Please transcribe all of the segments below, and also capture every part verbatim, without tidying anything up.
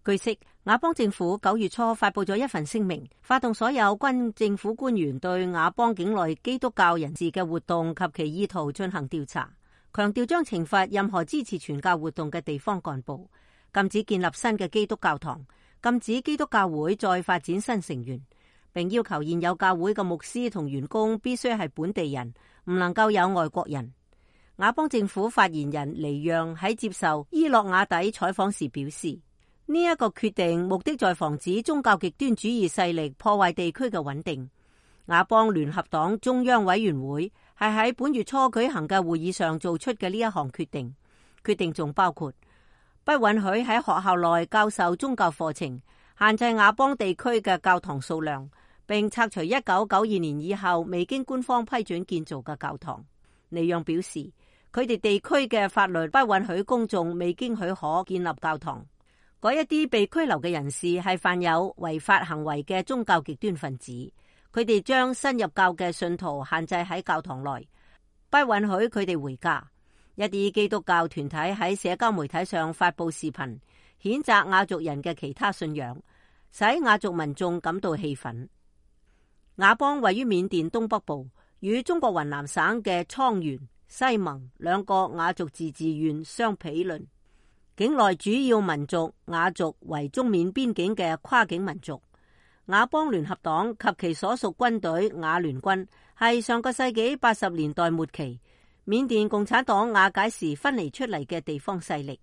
據悉，佤邦政府九月初發佈咗一份聲明，發動所有軍政府官員對佤邦境內基督教人士嘅活動及其意圖進行調查，強調將懲罰任何支持傳教活動嘅地方幹部，禁止建立新嘅基督教堂，禁止基督教會再發展新成員，並要求現有教會嘅牧師同員工必須係本地人，唔能夠有外國人。佤邦政府發言人尼讓喺接受伊洛瓦底採訪時表示，呢一個決定目的在防止宗教極端主義勢力破壞地區嘅穩定。佤邦聯合黨中央委員會係喺本月初舉行嘅會議上做出嘅呢一項決定，決定仲包括不允許喺學校內教授宗教課程，限制佤邦地區嘅教堂數量，並拆除一九九二年以後未經官方批准建造嘅教堂。尼讓表示，佢哋地區嘅法律不允許公眾未經許可建立教堂。嗰一啲被拘留嘅人士係犯有違法行為嘅宗教極端分子，佢哋將新入教嘅信徒限制喺教堂內，不允許佢哋回家。一啲基督教團體喺社交媒體上發佈視頻，譴責佤族人嘅其他信仰，使佤族民眾感到氣憤。佤邦位於緬甸東北部，與中國雲南省嘅蒼源、西盟兩個佤族自治縣相毗鄰，境內主要民族佤族為中緬邊境嘅跨境民族。佤邦聯合黨及其所屬軍隊佤聯軍係上個世紀八十年代末期緬甸共產黨瓦解時分離出嚟嘅地方勢力，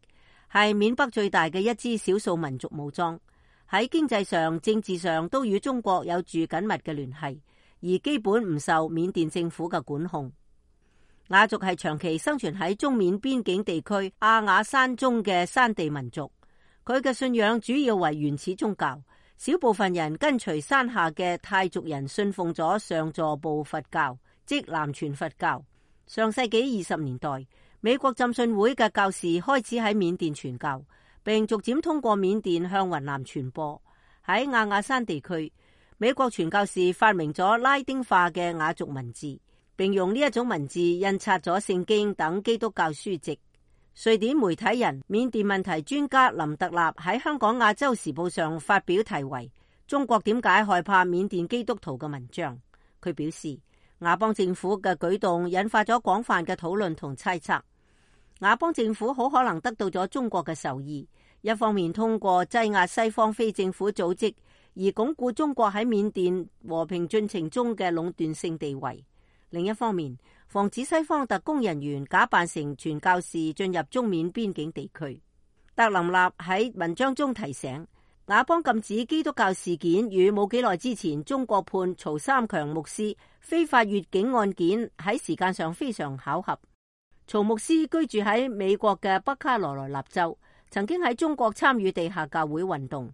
係緬北最大嘅一支少數民族武裝，喺經濟上、政治上都與中國有住緊密嘅聯繫，而基本唔受緬甸政府嘅管控。佤族係長期生存喺中緬邊境地區阿雅山中嘅山地民族，佢嘅信仰主要為原始宗教，小部分人跟隨山下嘅泰族人信奉咗上座部佛教，即南傳佛教。上世紀二十年代，美國浸信會嘅教士開始喺緬甸傳教，並逐漸通過緬甸向雲南傳播。喺阿雅山地區，美國傳教士發明咗拉丁化嘅佤族文字，並用呢一種文字印刷咗聖經等基督教書籍。瑞典媒體人、緬甸問題專家林特納喺香港亞洲時報上發表題為《中國點解害怕緬甸基督徒》嘅文章。佢表示，佤邦政府嘅舉動引發咗廣泛嘅討論同猜測。佤邦政府好可能得到咗中國嘅授意，一方面通過擠壓西方非政府組織而鞏固中國喺緬甸和平進程中嘅壟斷性地位，另一方面防止西方特工人員假扮成傳教士進入中緬邊境地區。特林納喺文章中提醒，佤邦禁止基督教事件與冇幾耐之前中國判曹三強牧師非法越境案件喺時間上非常巧合。曹牧師居住喺美國嘅北卡羅來納州，曾經喺中國參與地下教會運動，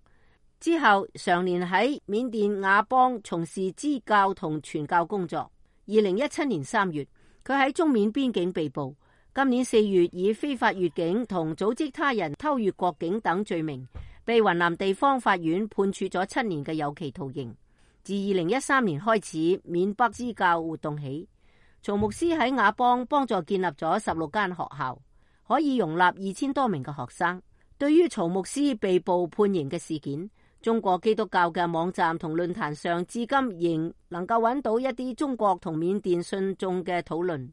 之後常年喺緬甸佤邦從事支教同傳教工作。二零一七年三月，佢喺中緬邊境被捕。今年四月，以非法越境同組織他人偷越國境等罪名，被雲南地方法院判處咗七年嘅有期徒刑。自二零一三年開始緬北支教活動起，曹牧師喺佤邦幫助建立咗十六間學校，可以容納二千多名嘅學生。對於曹牧師被捕判刑嘅事件，中國基督教嘅網站同論壇上至今仍能夠揾到一啲中國同緬甸信眾嘅討論。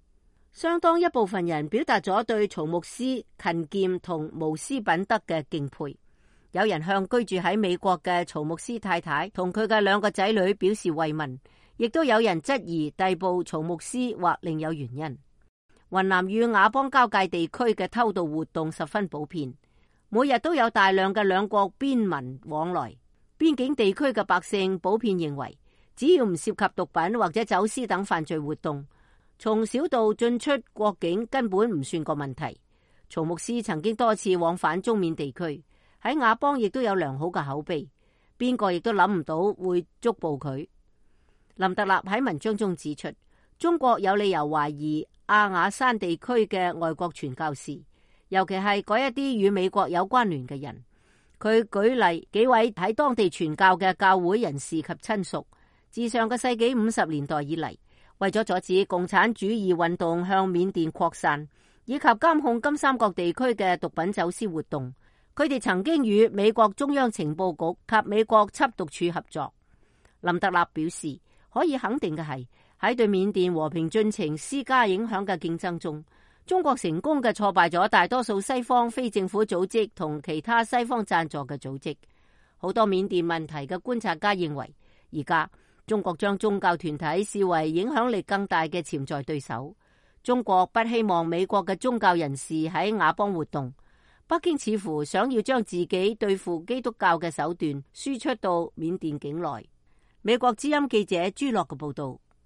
相當一部分人表達咗對曹牧師勤儉同無私品德嘅敬佩。有人向居住喺美國嘅曹牧師太太同佢嘅兩個仔女表示慰問，亦都有人質疑逮捕曹牧師或另有原因。雲南與佤邦交界地區嘅偷渡活動十分普遍，每日都有大量嘅兩國邊民往來。邊境地區嘅百姓普遍認為，只要唔涉及毒品或者走私等犯罪活動，從小道進出國境根本唔算個問題。曹牧師曾經多次往返中緬地區，喺佤邦亦都有良好嘅口碑，邊個亦都諗唔到會捉捕佢。林特納喺文章中指出，中國有理由懷疑阿雅山地區嘅外國傳教士，尤其係嗰一啲與美國有關聯嘅人。佢舉例幾位喺當地傳教嘅教會人士及親屬，自上個世紀五十年代以嚟，為咗阻止共產主義運動向緬甸擴散，以及監控金三角地區嘅毒品走私活動，佢哋曾經與美國中央情報局及美國緝毒處合作。林德納表示，可以肯定嘅係，喺對緬甸和平進程施加影響嘅競爭中，中國成功嘅挫敗咗大多數西方非政府組織同其他西方贊助嘅組織。好多緬甸問題嘅觀察家認為，而家中國將宗教團體視為影響力更大嘅潛在對手。中國不希望美國嘅宗教人士喺亞邦活動。北京似乎想要將自己對付基督教嘅手段輸出到緬甸境內。美國之音記者朱樂嘅報道。